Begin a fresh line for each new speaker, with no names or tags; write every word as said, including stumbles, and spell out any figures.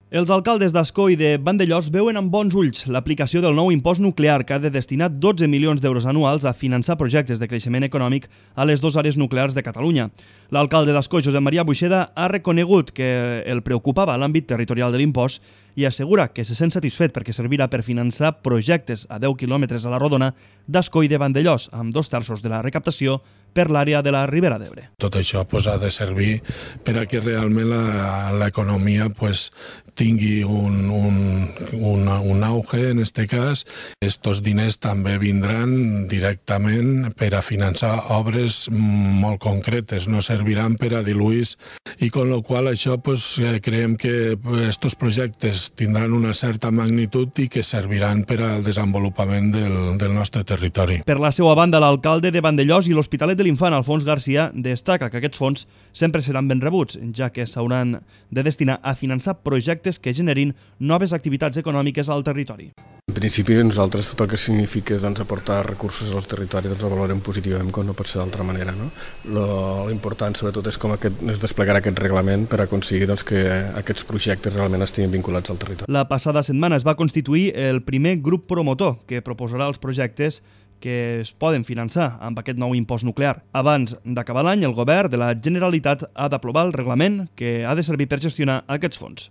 Els alcaldes d'Ascó i de Vandellòs veuen amb bons ulls l'aplicació del nou impost nuclear que ha de destinar dotze milions d'euros anuals a finançar projectes de creixement econòmic a les dues àrees nuclears de Catalunya. L'alcalde d'Ascó, Josep Maria Buixeda, ha reconegut que el preocupava l'àmbit territorial de l'impost i assegura que se sent satisfet perquè servirà per finançar projectes a deu quilòmetres a la rodona d'Ascó i de Vandellòs, amb dos terços de la recaptació per l'àrea de la Ribera d'Ebre.
Tot això pues, ha de servir per a que realment l'economia pues, tingui un, un, un, un auge en aquest cas. Estos diners també vindran directament per a finançar obres molt concretes, no serviran per a diluir i con lo qual això pues, creiem que estos projectes tindran una certa magnitud i que serviran per al desenvolupament del, del nostre territori.
Per la seva banda, l'alcalde de Vandellòs i l'Hospitalet de l'Infant, Alfons Garcia, destaca que aquests fons sempre seran ben rebuts, ja que s'hauran de destinar a finançar projectes que generin noves activitats econòmiques al territori.
En principi, nosaltres tot el que significa doncs, aportar recursos al territori doncs, ho valorem positivament, com no pot ser d'altra manera. No? L'important, sobretot, és com aquest, és desplegar aquest reglament per aconseguir doncs, que aquests projectes realment estiguin vinculats al territori.
La passada setmana es va constituir el primer grup promotor que proposarà els projectes que es poden finançar amb aquest nou impost nuclear. Abans d'acabar l'any, el govern de la Generalitat ha d'aprovar el reglament que ha de servir per gestionar aquests fons.